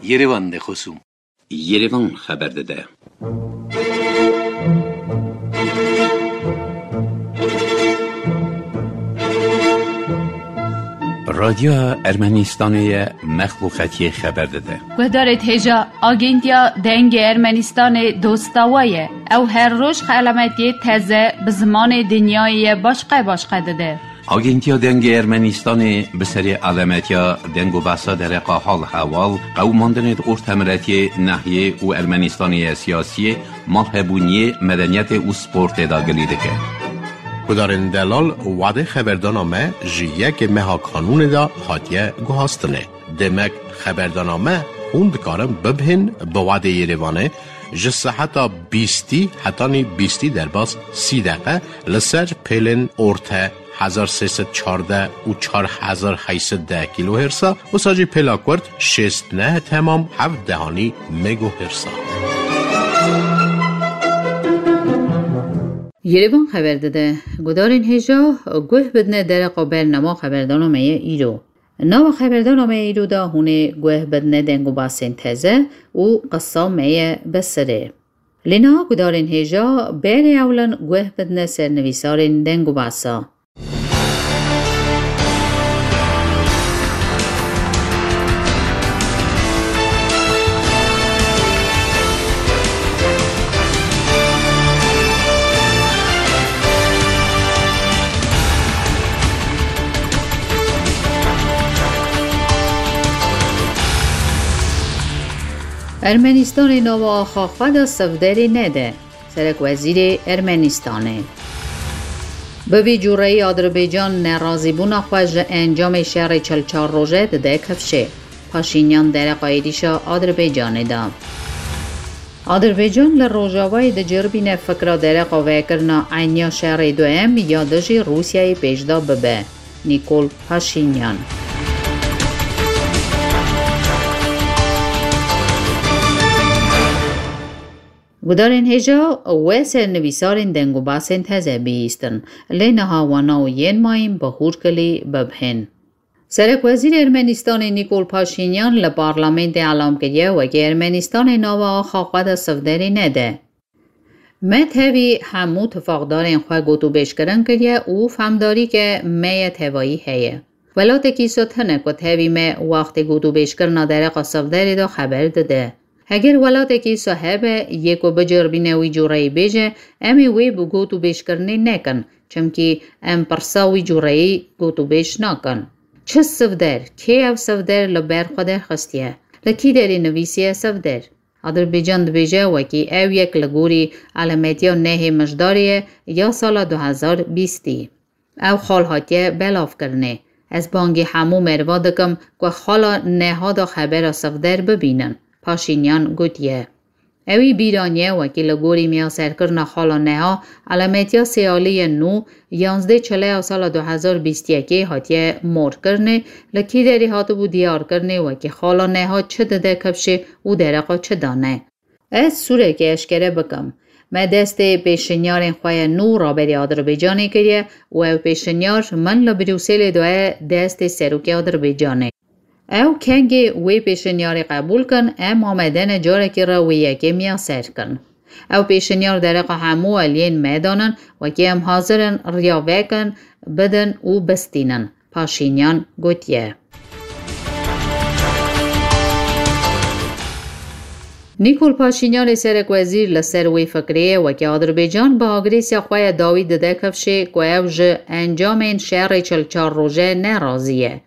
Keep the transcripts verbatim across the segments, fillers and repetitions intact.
Yerevan de xosûm. Yerevan xeber dide. Radyoya Ermenistanê ye, mexluqetiyê xeber dide. Guhdarê hêja, Agentiya Dengê Ermenistanê dosta we ye. Ew her roj xelametiyê teze bi zimanê dinyayê ye başqe başqe dide. Agentiya Dengê Ermenistanê bi serê alemetiya deng û behsa dereqa hal hewal, qewimandinê di ortemiretiyê, nehiyê û Ermenistanê ye siyasiyê, malhebûniyê, medeniyetê û sportê de gilî dike. Gudarên delal, wadê xeberdana me ji yekê meha kanûnê de hatiye guhastinê. Demek xeberdana me hûn dikarin bibihên bi wadê Yerevanê ji seheta bîstî hetanî bîstî derbas sî deqe li ser pêlên orte hezar sê sed çardeh û çar hezar heyt sed deh kîlohêrsa, wisa jî pêla kurt şêst neh temam heft dehanî megohêrsa. Yerevan xeber dide, gudarên hêja guh bidine dereqa bernama xeberdana me ye îro. Nava xeberdana me îro de hûn ê guh bidine deng û basên teze û qisa me ye bi sirê. Lê niha gudarên hêja berê ewlan guh bidine ser nivîsarên deng û basa. Ermenistanê nava axa xwe de sivderê nede. Serekwezîrê Ermenistanê. Bi vî cûreyî Adirbaycan nerazîbûna xwe ji encamê şerê çil çar roje dide kifşê. Paşînyan dereqa êrîşa Adirbaycanê da. Adirbaycan li Rojavayê diciribîne fikra dereqa vekirina eniya şerê duyem ya dijî Rûsyayê pêş de bibe. Nîkol Paşînyan. Gudarên hêja we ser nivîsarên deng û basên teze bihîstin, lê niha wana û yên mayîn bi hûrkilî bibihên. Serekwezîrê Ermenistanê Nîkol Paşînyan li parlamentê elam kiriye, wekî Ermenistanê nava axa xwe de sivderê nede. Me tevî hemû tifaqdarên xwe gotûbêjkirin kiriye û femdarîke me ye tevayî heye. Welatekî so tune ku tevî me wextê gotûbêjkirina dereqa sivderê de xeber dide. Heger welatekî so hebe yê ku biceribîne wî cûreyî bêje, em ê wê bi gotûbêjkirinê nekin, çimkî em pirsa wî cûreyî gotûbêj nakin. Çi sivder, kê ev sivder li ber xwe derxistiye? Li kî derê nivîsiye sivder? Adirbaycan dibêje wekî ew yek li gorî alemetiya nehê Mijdarê ye ya sala du hezar bîstî. Ew xal hatiye belavkirinê. Ez bangî hemû meriva dikim ku xala neha de xebera sivder bibînin, Paşînyan gotiye. Ewî bîr aniye wekî li gorî miyaserkirina xala neha alemetiya sêalî ye nû, yanzdeh çileya sala du hezar bîst yekê hatiye morkirinê, li kî derê hatibû diyarkirinê wekî xala neha çi dide kifşê û dereqa çi dane. Ez sûrekê eşkere bikim. Me destê pêşinyarên xwe ye nû raberî Adirbaycanê kiriye û ew pêşinyar min li Brukselê daye destê serokê Adirbaycanê. Ew kengê wê pêşinyarê qebûl kin, em amade ne carekî re wê yekê miyaser kin. Ew pêşinyar dereqa hemû aliyên me danin, wekî em hazir in riya vekin, bidin û bistînin, Paşînyan gotiye. Nîkol Paşînyanê serekwezîr li ser wê fikirê ye, wekî Adirbaycan bi agrêsiya xwe ye dawî dide kifşê ku ew ji encamên şerê çil çar roje nerazî ye.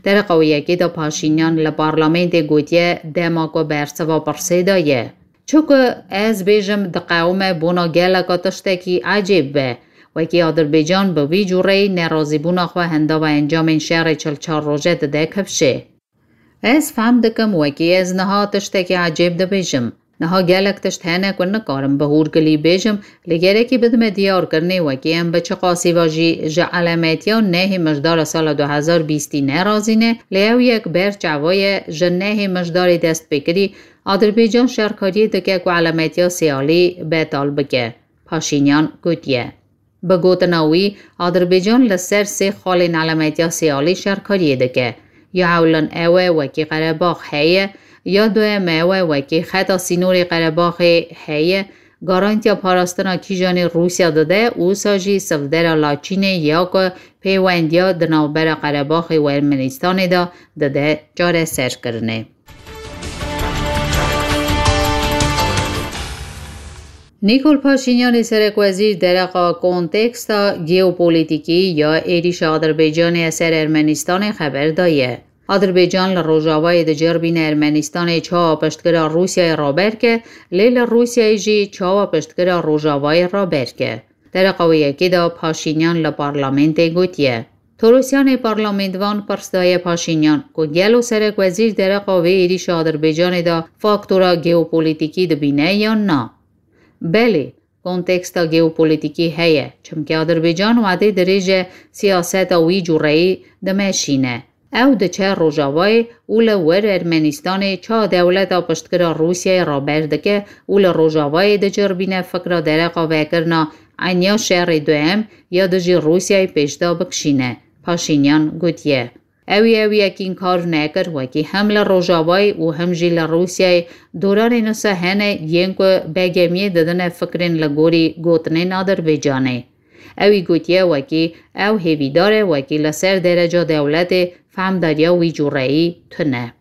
Dereqa wê yekê de Paşînyan li parlamentê gotiye, dema ku bersiva pirsê de ye. Çi ku ez bêjim diqewime bona geleka tiştekî ecêb be. Wekî Adirbaycan bi vî cûreyî nerazîbûna xwe hindava encamên şerê çil çar roje dide kifşê. Ez fehm dikim wekî ez niha tiştekî ecêb dibêjim. Niha gelek tişt hene ku nikarim bi hûrgilî bêjim, lê gerekî bidime diyarkirinê wekî em bi çiqasî ve jî ji elametiya nehê Mijdara sala du hezar bîstî nerazî ne, lê ew yek ber çava ye ji nehê Mijdarê dest pê kirî, Adirbaycan şerkariyê dike ku elametiya sêalî betal bike, Paşînyan gotiye. Bi gotina wî, Adirbaycan li ser sê xalên elametiya sêalî şerkariyê dike. Ya ewlin ew e wekî Qerebax heye, Ya duyem ew e, wekî xeta sînorê Qerebaxê heye, garantiya parastina kîjanê Rûsya dide, wisa jî sivdera Laçînê ya ku pêwendiya di navbera Qerebaxê û Ermenistanê de dide çareserkirinê. Nîkol Paşînyanê serekwezîr dereqa konteksta geopolitîkî ya êrîşa Adirbaycanê ser Ermenistanê xeber daye. Adirbaycan li rojavayê dicêrbîne Ermenistanê çawa piştgira Rûsyayê raber ke, lê li Rûsyayê jî çawa piştgira rojavayê raber ke. Dereqa wê yekê de Paşînyan li parlamentê gotiye. Torosyanê parlamentvan pirs daye Paşînyan ku gelo serekwezîr dereqa vê êrîşa Adirbaycanê de faktora geopolitîkî dibîne yan na. Belê, konteksta geopolitîkî heye, çimkî Adirbaycan wedê dirêj e siyaseta wî cureyî dimeşîne. Ew diçe Rojavayê û li wir Ermenistanê çawa dewleta piştgira Rûsyayê raber dike û li Rojavayê dicêrbîne fikra dereqa vekirina eniya şerê duyem ya dijî Rûsyayê pêşda bikişîne, Paşînyan gotiye. Ewî ew yekîn kar nekir, wekî hem li Rojavayê û hem jî li Rûsyayê doranên wisa hene yên ku begemiyê didine fikrên li gorî gotinên Adirbaycanê. Ewî gotiye, wekî ew hêvîdar e, wekî li ser dereca dewletê fehmdariya wî cureyî tune.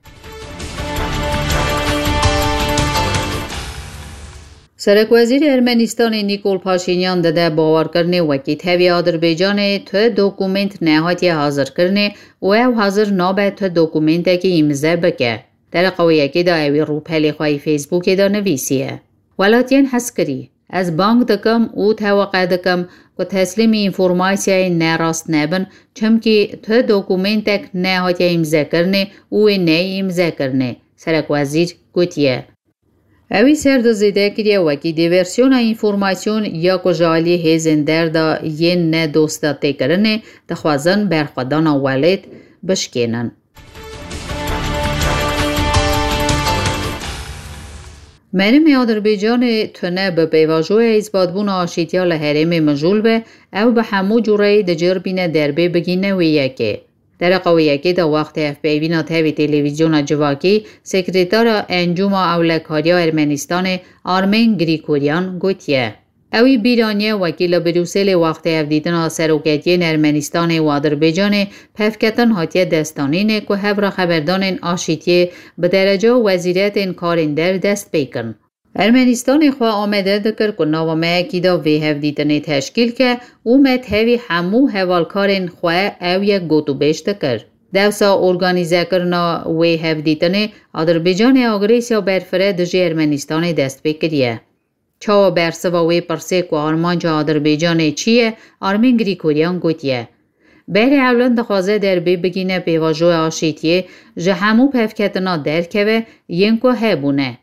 Serekwezîrê Ermenistanê Nîkol Paşînyan dide bawerkirinê wekî tevî Adirbaycanê tu dokument nehatiye hazirkirinê û ew hazir nabe tu dokumentekî îmze bike. Dereqa wê yekê de ewî rûpelê xwe yê Facebookê de nivîsiye. Welatiyên hezkirî, ez bang dikim û teweqe dikim ku teslîmî înformasyayên nerast nebin, çimkî tu dokumentek nehatiye îmzekirinê û wê neyê îmzekirinê, serekwezîr gotiye. Ewî ser de zêde kiriye wekî dê versiyona înformasyon ya ku ji alî hêzên derda yên ne dosta têkirinê dixwazin berxwedana welêt bişkênin. Merimê Adirbaycanê tune bi pêvajoya îsbatbûna aşîtiya li herêmê mijûl be, ew bi hemû cureyî dicêrbîne derbê bigîne wê yekê. Dereqa wê yekê de wextê hevpeyvîna tevî televîzyona civakî, sekretara Encûma Ewlekariya Ermenistanê Armen Grîkoryan gotiye. Ewî bîr aniye wekî li Brûselê wextê hevdîtina seroketiyên Ermenistanê û Adirbaycanê pevketin hatiye destanînê ku hevraxeberdanên aşîtiyê bi dereca wezîretên karên der dest pê kin. Ermenistanê xwe amede dikir ku nava me yekî de vê hevdîtinê teşkîl ke û me tevî hemû hevalkarên xwe ew yek gotûbêj dikir. Dewsa organîzekirina wê hevdîtinê Adirbaycanê agresiya berfireh dijî Ermenistanê dest pê kiriye. Çawa bersiva wê pirsê ku armanca Adirbaycanê çi ye, Armin Grîkoryan gotiye, berê ewlin dixwaze derbê bigîne pêvajoya aşîtiyê, ji hemû pevketina derkeve yên ku hebûne.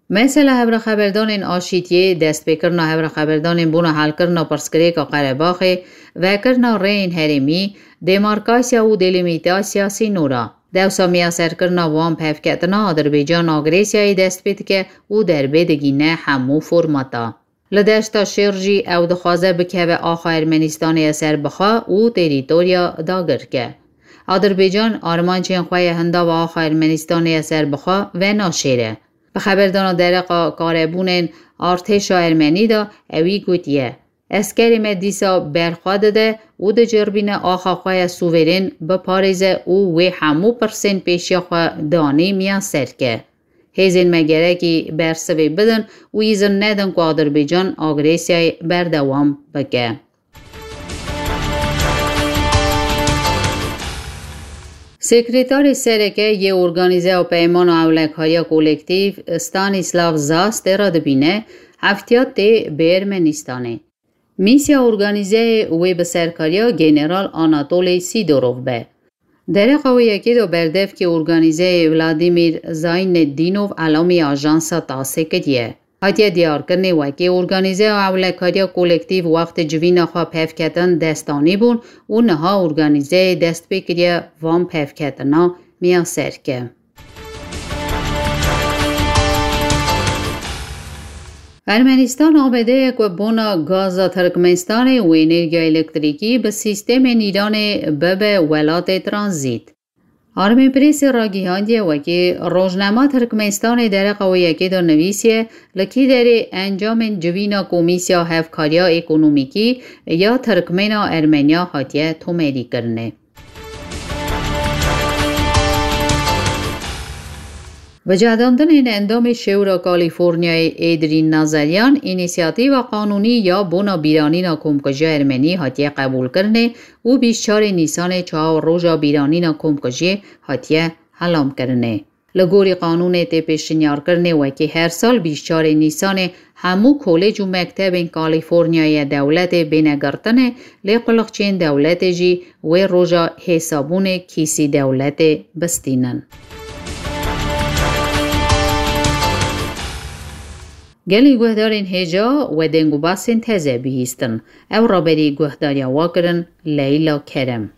Mesela hevraxeberdanên aşîtiyê, destpêkirina hevraxeberdanên bona helkirina pirsgirêka Qerebaxê, vekirina rêyên herêmî, demarkasiya û delîmîtasiya sînora. Dewsa miyaserkirina wan pevketina Adirbaycan agrêsiyayê dest pê dike û derbê digîne hemû formata. Li deşta Şêr jî ew dixwaze bikeve axa Ermenistanê ya serbixwe û terîtorya dagirke. Adirbaycan armancên xwe ya hindava axa Ermenistanê ya serbixwe venaşêre. Bi xeberdana dereqa karebûnên artêşa ermenî de ewî gotiye, eskerê me dîsa berxwe dide û dicêrbîne axa xwe ya sûverên biparêze û wê hemû pirsên pêşiya xwe danî miyaser ke. Hêzên me gerekî bersivê bidin û îzin nedin ku Adirbaycan agrêsiyayê berdewam bike. Sekretarê Sereke yê Organîzeya Peymana Ewlekariya Kolektîf Stanislav Zas tê re dibîne heftiya tê bi Ermenistanê. Mîsya organîzeyê wê bi serkariya General Anatolî Sîdorov be. Dereqa wê yekê de berdevkê organîzeyê Vladimîr Zaynedînov elamî ajansa TASSê kiriye. Hatiye diyarkirinê wekî organîzeya ewlekariya kolektîf wextê civîna xwe pevketin destanî bûn û niha organîzeyê dest pê kiriye van pevketina miyaserke. Ermenistan amade ye ku bona gaza Tirkmenistanê û enerjiya elektrîkî bi sîstemên Îranê bibe welatê tranzît. Armê Prêsê ragihandiye wekî rojnama Tirkmenistanê dereqa wê yekê de nivîsiye, li kî derê encamên civîna Komîsya Hevkariya Ekonomîkî ya Tirkmena Ermeniya hatiye tomerîkirinê. Bi cedandinên endamê Şewra Kalîforniyayê Êdrîn Nazeryan, înîsiyatîva qanûnî ya bona bîranîna komkujiya Ermenî hatiye qebûlkirinê û bîst çarê Nîsanê çawa roja bîranîna komkujiyê hatiye helamkirinê. Li gorî qanûnê tê pêşinyarkirinê wekî her sal bîst çarê Nîsanê hemû kolêc û mektebên Kalîforniyayê dewletê bêne girtinê, lê quliqçiyên dewletê jî wê roja hêsabûnê kîsî dewletê bistînin. Gelî guhdarên hêja we deng û basên teze bihîstin. Ew raberî guhdariya wa kirin Leyla Kerem.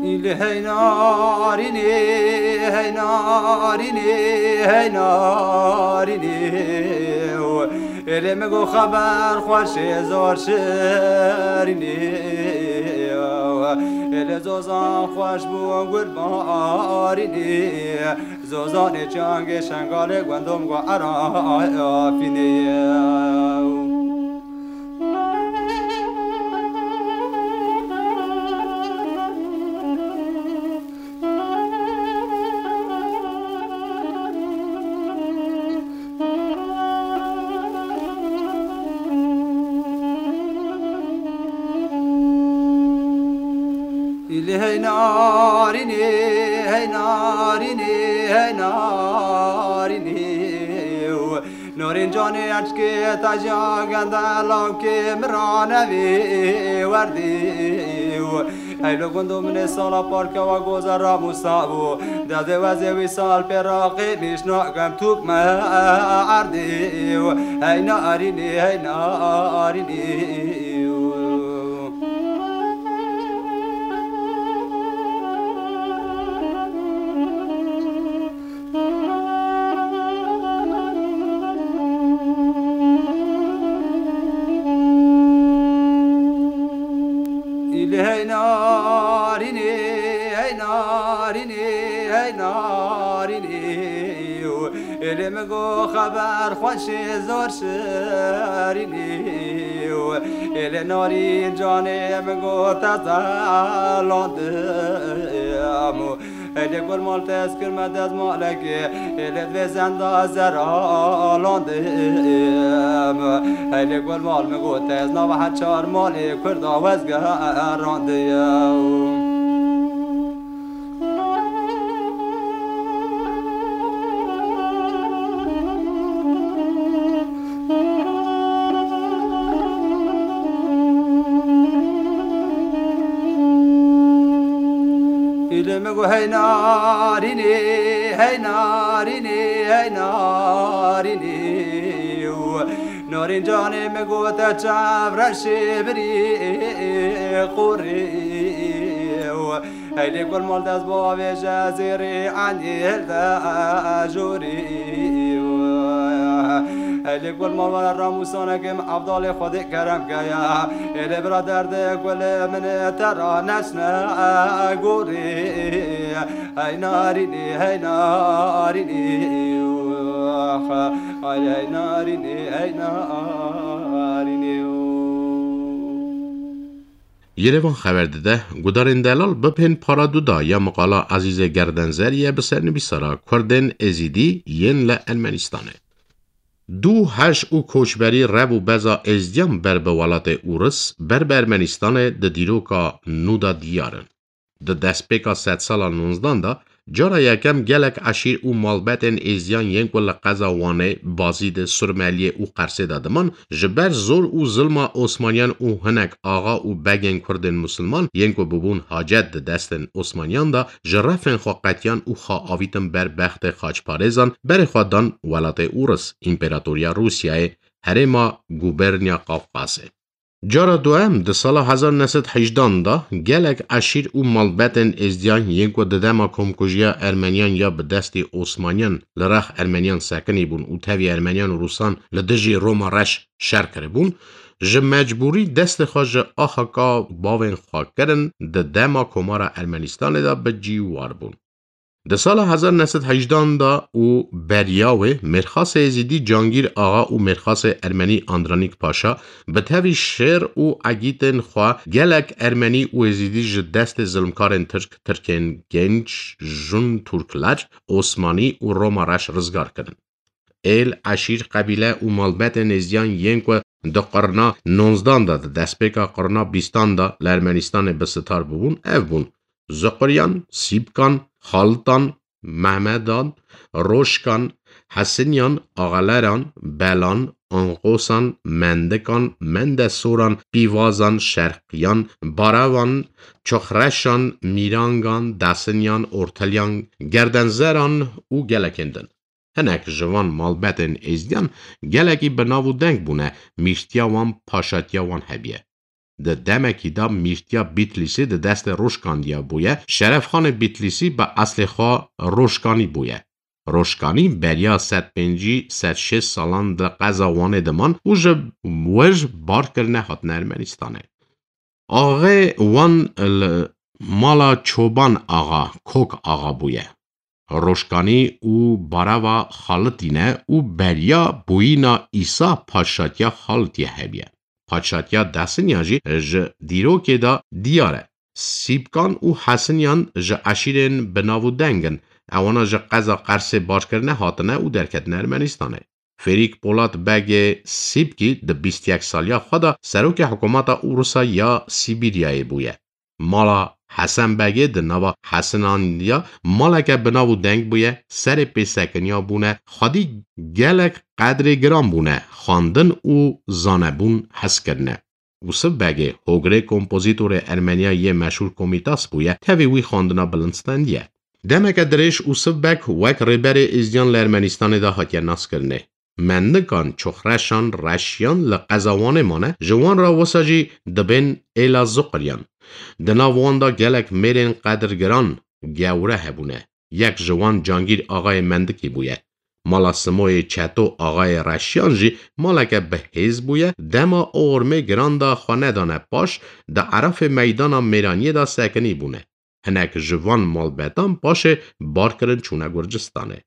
Îlê hey narînê, hey narînê, hey narînê. Êlê min got xeber xweş ê zor şirînê. Êlê zozan xweş bû gul barînê. Zozanê çangê şengalê gundum got erafînê. Îlê hey narînê, hey narînê, hey narînê. Norîn canê eçkê te jî agende lawkê min ranevî werdî. Hey lo gundo min ê sala parkewa goze ramûsa bû. Dezê wezê wî sal pê raqî nîş nakem tûk me erdî. Hey narînê, hey narînê. Îlê hey narînê, hey narînê, hey narînê. Êlê min got xeber xweş ê zor şirînê. Êlê narîn canê min got te zelandim. Êlê gul mal te ez kirme dezmalekê, êlê divê zenda zeralandim. Êlê gul mal min got ez nava her çar malê Kurda wezgerandim. Îlê min got hey narînê, hey narînê, hey narînê. Narîn canê min got te çav reşê birî qorî. Hey lê gul mal dest bavêje zêrê enî hilde jorî. Hey lê gul mal were ramûsanekê min Evdalê Xwedê kerem keye. Ê lê bira derdê gulê min te ra neçne gorî. Hey narînî, hey narînî. Ay hey narînî, hey narînî. Yerevan xeber dide, gudarên delal bipên para duda ya miqala Ezîzê Gerdenzer ye bi sernivîsara Kurdên Êzîdî yên li Ermenistanê. Du heş û koçberî rev û beza Êzdiyan ber bi welatê Ûris, ber bi Ermenistanê di dîroka nû de diyar in. Di destpêka sedsala nonzdan de, cara yekem gelek eşîr û malbetên Êzdiyan yên ku li qeza Wanê, Bazîdê, Surmeliyê û Qersê de diman, ji ber zor û zilma Osmaniyan û hinek axa û begên Kurdên Musulman yên ku bibûn hacet di destên Osmaniyan de, ji refên xwe qetiyan û xwe avîtin ber bextê xaçparêzan, berê xwe dan welatê Ûris, Împeratoriya Rûsyayê, herêma Gubernya Qafqasê. Cara duem, di sala hezar neh sed hejdan de gelek eşîr û malbetên êzdiyan yên ku di dema komkujiya Ermeniyan ya bi destê Osmaniyan li rex Ermeniyan sekinî bûn û tevî Ermeniyan û Rûsan li dijî Roma Reş şer kiribûn, ji mecbûrî destê xwe ji axaka bavên xwe kirin, di dema Komara Ermenistanê de bi cî war bûn. Di sala hezar neh sed hejdan de û beriya wê, mêrxasê Êzidî Cangîr Axa û mêrxasê Ermenî Andronîk Paşa bi tevî şêr û egîtên xwe gelek Ermenî û Êzidî ji destê zilmkarên Tirk, Tirkên Genç, Jun Turkler, Osmanî û Roma Reş rizgar kirin. Êl, eşîr, qebîle û malbetên êzdiyan yên ku di qirna nonzdan de, di destpêka qirna bîstan de li Ermenistanê bi sitar bûbûn, ev bûn: Zuqiryan, Sîbkan, Xalitan, Mehmedan, Roşkan, Hesinyan, Axaleran, Belan, Anqosan, Mendikan, Mendesoran, Pîvazan, Şerqiyan, Barevan, Çoxreşan, Mîrangan, Dasinyan, Ortelyan, Gerdenzeran û gelekên din. Hinek ji van malbetên êzdiyan gelekî bi nav û deng bûne, mîrtiya wan, paşatiya wan hebiye. Di demekî de mîrtiya Bîtlîsî di destê Roşkandiya bûye, Şerefxanê Bîtlîsî bi eslê xwe Roşkanî bûye. Roşkanî beriya sed pêncî, sed şêst salan di qeza Wanê de man û ji wir bar kirine hatine Ermenistanê. Axê wan li mala Çoban Axa, Kok Axa bûye. Roşkanî û Barava Xalitî ne û beriya bûyîna Îsa paşatiya Xalitiyê hebiye. Paşatiya Dasinyan jî ji dîrokê de diyar e. Sîbkan û Hesinyan ji eşîrên bi nav û deng in. Ewana ji qeza Qersê barkirine hatine û derketine Ermenistanê. Fêrîk Polat Begê Sîbkî di bîst yek saliya xwe de serokê hikûmeta Ûrisa ya Sîbîryayê bûye. Mala Hesen Begê di nava Hesinan ya maleke bi nav û deng bûye, serê pêsekiniya bûne, xwedî gelek qedrê giran bûne, xwendin û zanebûn hez kirine. Ûsiv Begê, hogirê kompozîtorê Ermeniya yê meşhûr Komîtas bûye, tevî wî xwendina bilind stendiye. Demeke dirêj Ûsiv Beg wek rêberê êzdiyan li Ermenistanê de hatiye naskirinê. Mendikan, Çoxreşan, Reşiyan li qeza Wanê mane, ji wan re wisa jî dibên êla Zuqiryan. Di nav wan de gelek mêrên qedirgiran, gewre hebûne. Yek ji wan Cangîr Axayê Mendikî bûye. Mala Simoyê Çeto Axayê Reşiyan jî maleke bi hêz bûye, dema o ormê giran de xwe nedane paş, di erafê meydana Mêraniyê de sekinî bûne. Hinek ji van malbetan paşê bar kirin çûne Gurcistanê.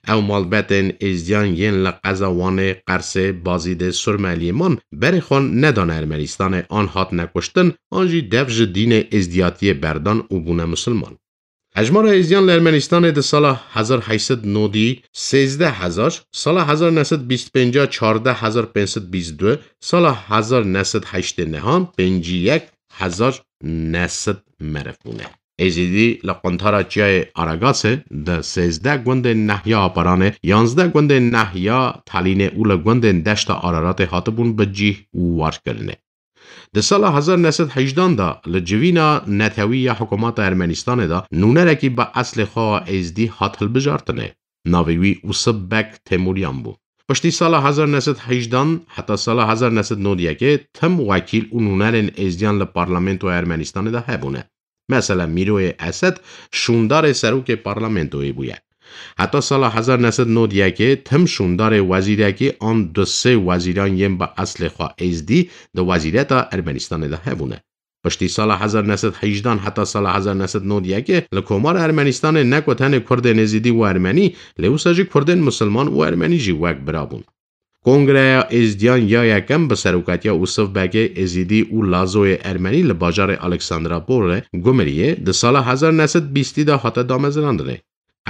Ew malbetên êzdiyan yên li qeza Wanê, Qersê, Bazîdê, Surmeliyê man, berê xwe nedane Ermenistanê, an hatine kuştin, an jî dev ji dînê êzdiyatiyê berdan û bûne misilman. Hejmara êzdiyan li Ermenistanê di sala hezar heyt sed nodî sêzdeh hezar, sala hezar neh sed bîst pênc çardeh hezar pênc sed bîst du, sala hezar neh sed heştê nehan pêncî yek hezar neh sed meriv bûne. Êzidî li quntara çiyayê Aragasê di sêzdeh gundên nehiya Aparanê, yanzdeh gundên nehiya Talînê û li gundên deşta Araratê hatibûn bi cîh û warkirinê. Di sala hezar neh sed hejdan de li civîna netewî ya hikûmeta Ermenistanê de nûnerekî bi eslê xwe wa êzdî hat hilbijartinê. Navê wî Ûsiv Beg Temûryan bû. Piştî sala hezar neh sed hejdan heta sala hezar neh sed nod yekê tim wekîl û nûnerên êzdiyan li parlamentoya Ermenistanê de hebûne. Mesela Mîroyê Esed şûndarê serokê parlamentoyê bûye. Heta sala hezar neh sed nod yekê tim şûndarê wezîrekî an du sê wezîran yên bi eslê xwe êzdî di wezîreta Ermenistanê de hebûne. Piştî sala hezar neh sed hejdan heta sala hezar neh sed nod yekê li Komara Ermenistanê ne ku tenê Kurdên Êzidî û Ermenî, lê wisa jî Kurdên Misilman û Ermenî jî wek bira bûn. Kongreya Êzdiyan ya yekem bi serokatiya Ûsiv Begê Êzidî û Lazoyê Ermenî li bajarê Alexandrapolê, Gumiriyê, di sala hezar neh sed bîstî de hate damezrandinê.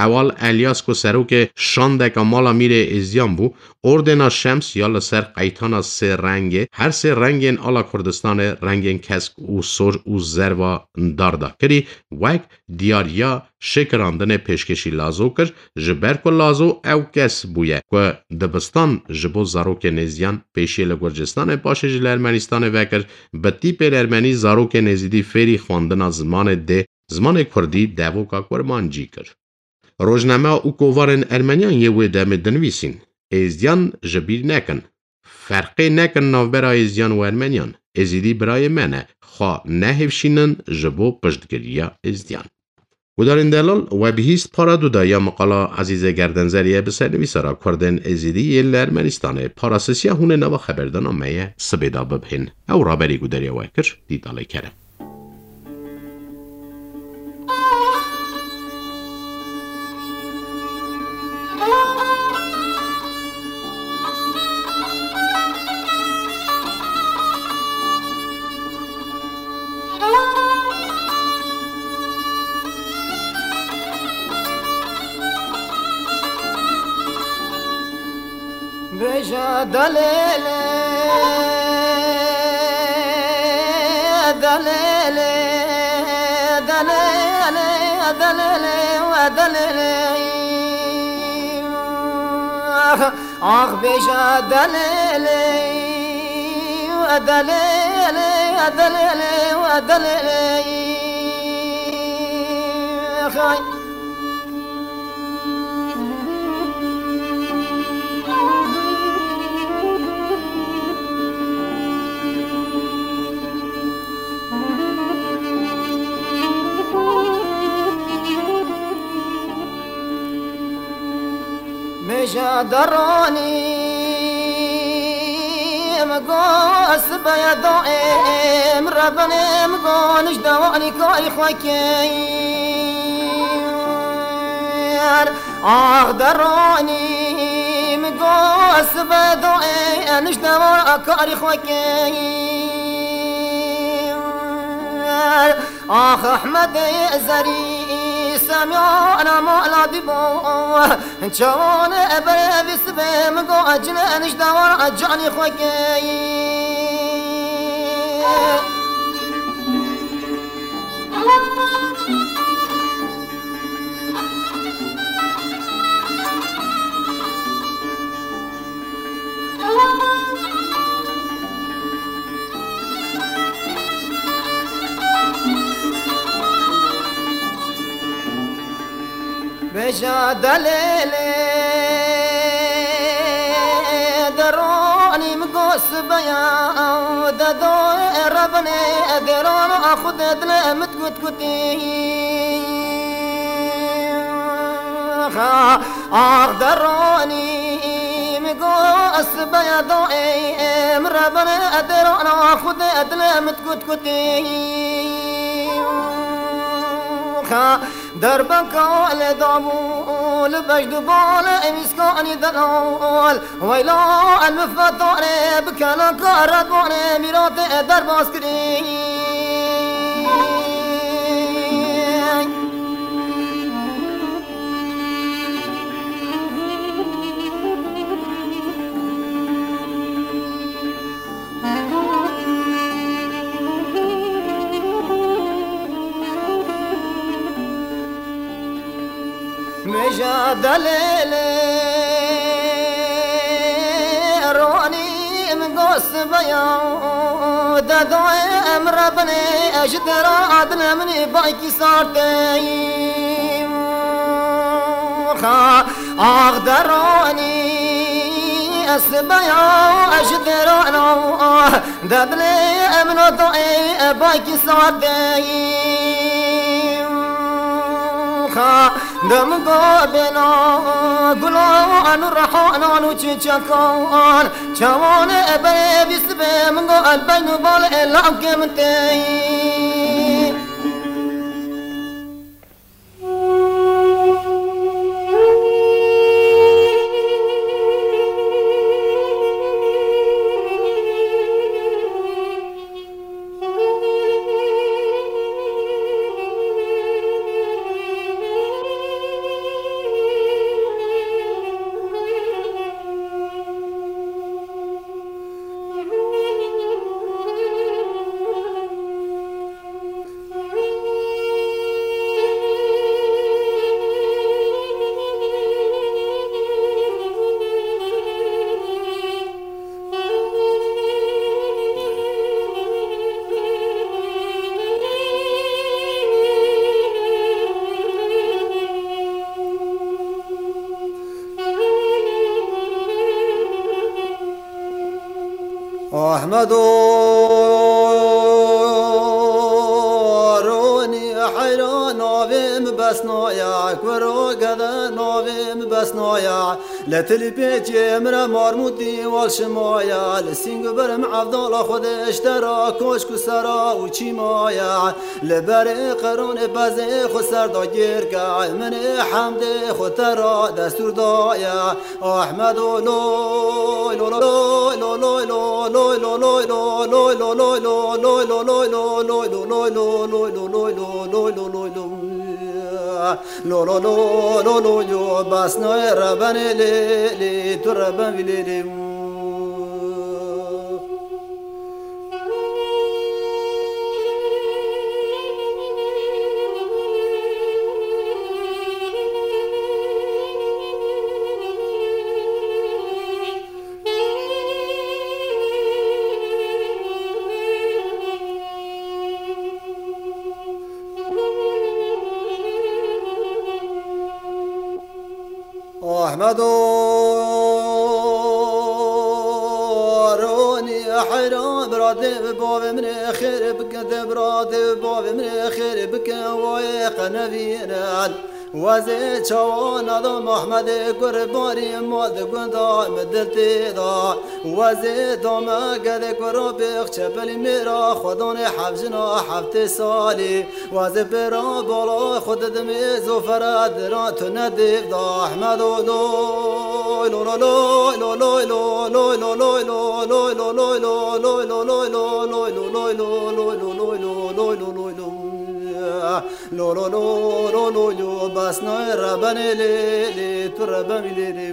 Ewal Elyas ku serokê şandeka mala Mîrê Êzdiyan bû, ordêna Şems ya li ser qeytana sê rengê, her sê rengên ala Kurdistanê, rengên kesk û sor û zerva dar da kirî, wek diyariya şêkirandinê pêşkêşî Lazo kir, ji ber ku Lazo ew kes bûye ku dibistan ji bo zarokên êzdiyan pêşiyê li Gurcistanê, paşê jî li Ermenistanê vekir, bi tîpên ermenî zarokên êzidî fêrî xwendina zimanê dê, zimanê kurdî, devoka kurmancî kir. Rojname û kovarên ermeniyan yê wê demê dinivîsîn, êzdiyan ji bîr nekin. Ferqê nekin navbera Êzidiyan û Ermeniyan. Êzidî birayê me ne. Xwe nehêvşînin ji bo piştgiriya Êzidiyan. Gudarên delal, we bihîst para du de ya miqala Ezîzê Gerdenzer ye bi sernivîsara Kurdên Êzidî yên li Ermenistanê. Para sisiya hûn ê nava xeberdana me ye sibê de bibihên. Ew raberî gudariya we kir, Dîdalê Kerem. Bêje delêlê, delêlê, delêlê, delêlê, we delêlê. Ax, ax bêje delêlê, delêlê, delêlê, delêlê. Xay. Mêja deranî min got sibeye daê min rebenê min got nij dewanî karî xwe kir. Ax deranî min got sibeye daê nij dewa karî xwe kir. Ax Ehmedê Zerî semiyana mala dîbo. Çawanê eberê vî sibê min got cine nij dewa canî xwe kir. Bêje delêlê, deranî min got sibeya, dedo rebinê, deran a xwe de dilê min kut kutî. Ax deranî min got sibeya, doê min rebinê, deran a xwe de dilê min kut kutî. Derbeka lê dabû li bejd û bal ê mîskanî delal. Weyla el min fetanê bi keleka redwanê mîratê derbas kirî. Meja delêlê ronî min got sibeya, dedoyê em rebinê, ji dera adine minî baykî sartê. Ax deranî ez sibeya, ji derana. Dedilê min o doê, e, baykî sardê. Xa, dem go bêna, gulan û rehanan û çiçekan, çawan e berê vî sibê, min go el beyn û bal e lawkê min tê. Ahmedo Ronî heyra navê min Besna ye, kuro gede navê min Besna ye. Li tilî pêçê min re marmûtî wal şima ye, li sîng û birim evdala xwe de ji te re koçk û sera û çîma ye. Li berê qeronê pezê xwe ser da gêr ke, min ê hemdê xwe te re destûr daye. Ahmedo loy lo loy lo loy lo loy lo loy lo loy lo loy lo loy lo loy lo loy lo loy lo loy lo loy lo loy lo loy lo loy lo loy lo loy lo loy lo Besnayê rebenê lê lê tu reben vî lê lê. Ahmedo Ronî heyran biratê bi bavê min ê xêr bikin, tê biratê bi bavê min ê xêr bikin, wayê qenevînin. Wezê çawa nada Mehmedê kurbanî ma di gunda min dil tê da. Wezê dame gedê kuro pêx çepelî mêra xwedanê hevjina heftê salî. Wezê pêra bala xwe didimê zofere dira tu ne dêv da Ehmedo loy lo lo loy lo loy lo loy lo loy lo loy lo loy lo loy lo loy lo loy lo loy lo loy lo loy lo loy lo loy lo loy lo Lo lo lo lo lo lo Besnayê rebenê lê lê tu reben vî lê lê.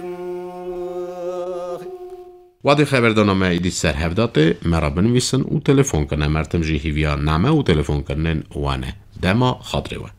Wadî xeberdana me êdî ser hev de tê, me re binivîsin û telefon kine. Mertim jî hîviya name û telefonkirinên we ne. Dema xatirê we.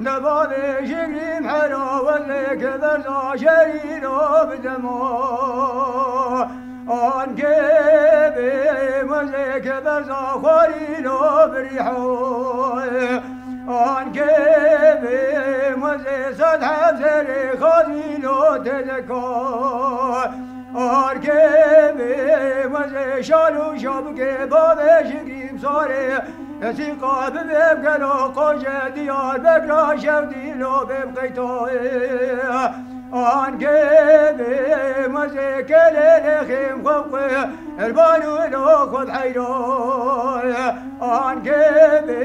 Nebavê jigrîm hera wezê ke berza şerîro bidemo. Ankê bê wezê ke berza xwarîro birîho. Ankê bê wezê sed hevzerê xazîlo tezeko. Arkê bê wezê şal û şabikê bavê jigrîm sarê. Esîqa bibê gelo qoje Diyarbekra şev dîlo bê qeytoyê. Ankê bê wezê kelê lêxêm xwe xwe erban û lo xwe heyroyê. Ankê bê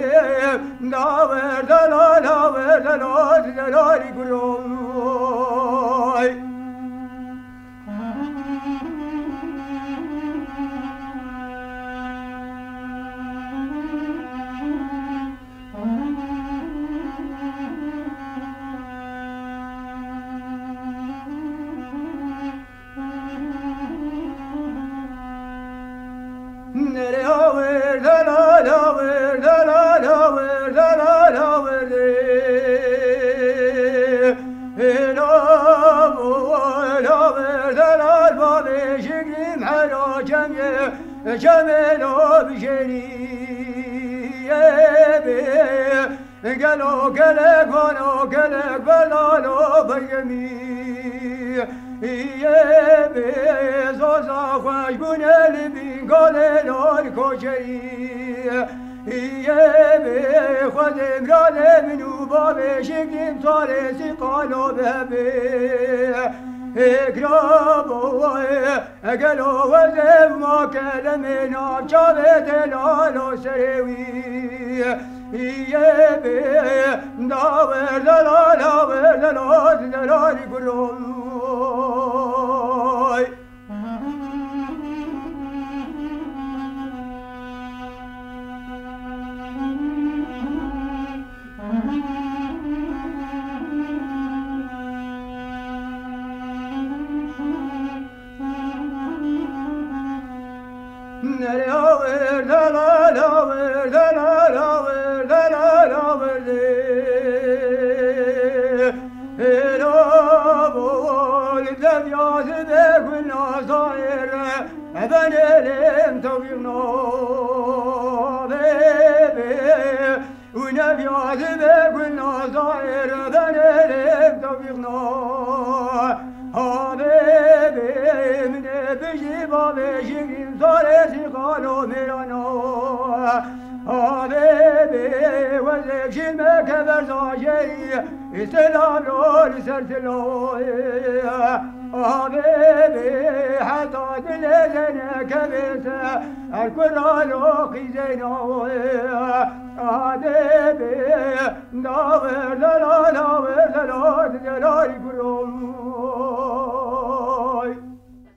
dawer delal hawer delal delalî guroy. Nereye hawer delal hawer delal hawer delal hawer de. Ela bu ela ver delal bavê jigrîm hera çemê çemê lo bijêrî. Ebe gelo gelek vano gelek belalo beyemî. Yê bê zoza xweş bûne li bîn galê lor koçeyî. Yê bê xwedê miranê min û bavê jigrîm sarê sîqalo bebe. Hêkra bo Gelo wezê ma kelemê nav çavê delalo serê wî. Yê bê dawer delala wer delal delalî guroy.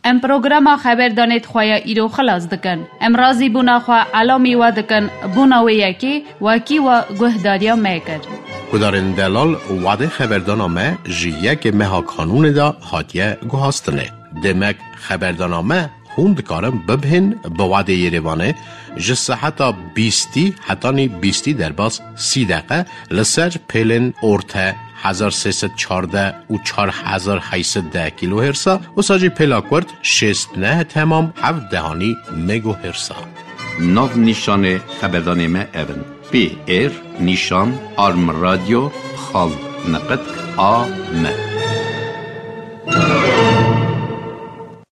Em programa xeberdanê di xwe ya îro xilas dikin. Em razîbûna xwe elamî we dikin, bona wê yekê wekî we guhdariya me kir. Guhdarên delal, wadê xeberdana me ji yekê meha Kanûnê de hatiye guhastinê. Demek xeberdana me hûn dikarin bibihên bi wadê Yerêvanê ji seheta bîstî hetanî bîstî derbas sî deqe li ser pêlên orte hezar sê sed çardeh û çar hezar heyt sed deh kîlohêrsa, wisa jî pêla kurt şêst neh temam heft dehanî megohêrsa. Nav nîşanê xeberdanê me ev in: P R nîşan arm radio xal niqitk A M.